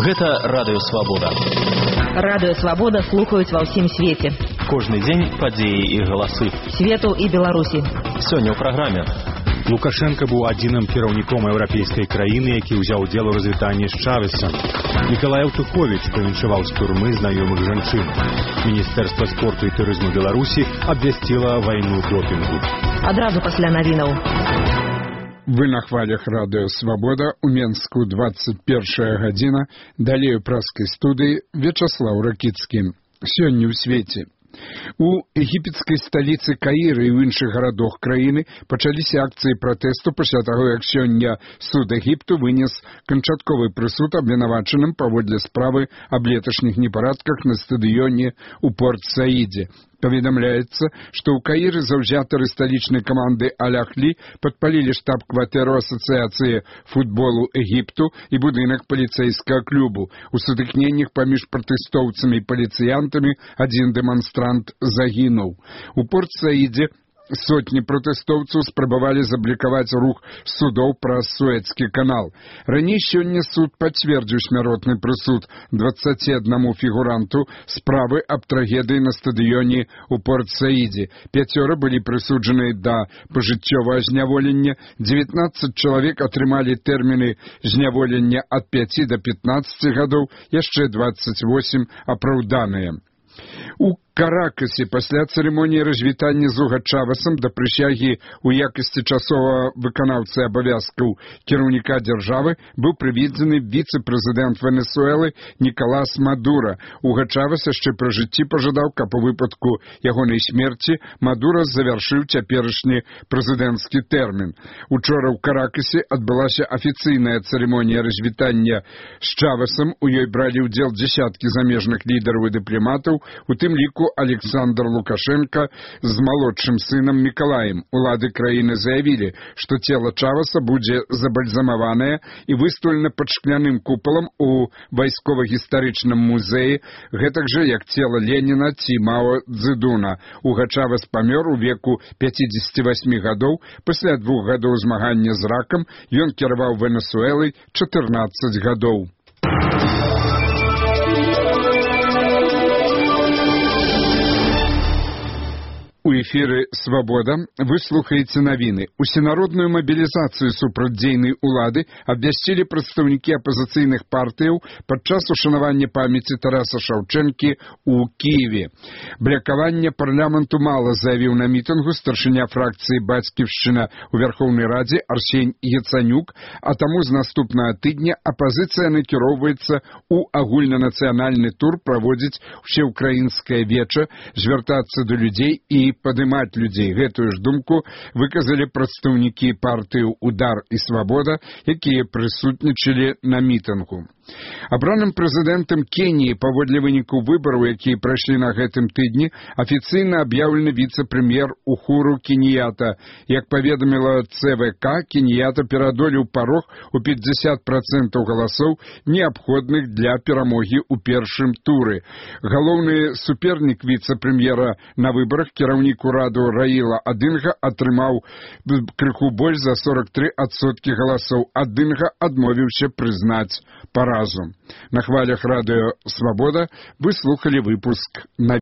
Гэта Радыё Свабода. Радыё Свабода слухаюць ва ўсім свеце. Кожны дзень падзеі і галасы Свету і Беларусі. Сёння ў праграме. Лукашенко быў адзіным кіраўніком еўрапейскай краіны, які ўзяў удзел у развітанні з Чавесам. Мікалай Аўтуховіч павіншаваў з турмы знаёмых жанчын. Міністэрства спорту і турызму Беларусі абвясціла вайну допінгу. Адразу пасля навінаў. Вы на хвалях Радыё Свабода, у Менску 21 гадзіна, далей у праскай студыі Вячаслаў Ракіцкі. Сёння ў свеце. У егіпецкай сталіцы Каіра і ў іншых гарадах краіны пачаліся акцыі пратэсту пасля таго, як сёння суд Егіпту вынес канчатковы прысуд абвінавачаным паводле справы аб леташніх непарадках на стадыёне ў Порт-Саідзе. Паведамляецца, што ў Каіры заўзятары сталічнай каманды Аль-Ахлі падпалілі штаб-кватэру асацыяцыі футболу Егіпту і будынак паліцэйскага клубу. У сутыкненнях паміж пратэстоўцамі і паліцыянтамі адзін дэманстрант загінуў. У Порт-Саідзе сотні пратэстоўцаў спрабавалі заблакаваць рух судоў праз Суэцкі канал. Раней сёння суд пацвердзіў смяротны прысуд 21 фігуранту справы аб трагедыі на стадыёне ў Порт-Саідзе. 5 былі прысуджаны да пажыццёвага зняволення, 19 чалавек атрымалі тэрміны зняволення ад 5 до 15 гадоў, яшчэ 28 апраўданыя. У Каракасе пасля цырымоніі развітання з Уга Чавесам да прысягі ў якасці часовага выканаўцы абавязкаў кіраўніка дзяржавы быў прыведзены віцэ-прэзідэнт Венесуэлы Нікалас Мадура. Уга Чавес яшчэ пры жыцці пажадаў, каб у выпадку ягонай смерці Мадура завяршыў цяперашні прэзідэнцкі тэрмін. Учора ў Каракасе адбылася афіцыйная цырымонія развітання з Чавесам. У ёй бралі ўдзел дзясяткі замежных лідараў і дыпламатаў, у тым ліку Александр Лукашенко з малодшым сынам Мікалаем. Улады краіны заявілі, што цела Чавеса будзе забальзамаванае і выстаўлена пад шкляным купалам у вайскова-гістарычным музеі, гэтак жа, як цела Леніна ці Мао Цзэдуна. Уга Чавес памёр у веку 58 гадоў. Пасля 2 гадоў змагання з ракам ён кіраваў Венесуэлай 14 гадоў. У эфіры «Свабода» вы слухаеце навіны. Усенародную мабілізацыю супрацьдзейнай улады абвясцілі прадстаўнікі апазіцыйных партыяў падчас ушанавання памяці Тараса Шаўчэнкі ў Кіеве. Блякавання парламенту мала, заявіў на мітынгу старшыня фракцыі «Бацьківшчына» у Вярхоўнай Радзе Арсень Яцанюк, а таму з наступнага тыдня апазіцыя накіроўваецца ў агульнанацыянальны тур праводзіць усеўкраінскае веча, звяртацца да людзей і падымаць людзей. Гэтую ж думку выказалі прадстаўнікі партыі «Удар» і «Свабода», якія прысутнічалі на мітынгу. Абраным прэзідэнтам Кеніі паводле выніку выбараў, якія прайшлі на гэтым тыдні, афіцыйна аб'яўлены віцэ-прэм'ер Ухуру Кеньята. Як паведаміла ЦВК, Кеньята пераадолеў парог у 50% галасоў, неабходных для перамогі ў першым туры. Галоўны супернік віцэ-прэм'ера на выбарах, кіраўнік ураду Раіла Адынга, атрымаў крыху больш за 43% галасоў. Адынга адмовіўся прызнаць паразу. На хвалях Радыё Свабода вы слухали выпуск на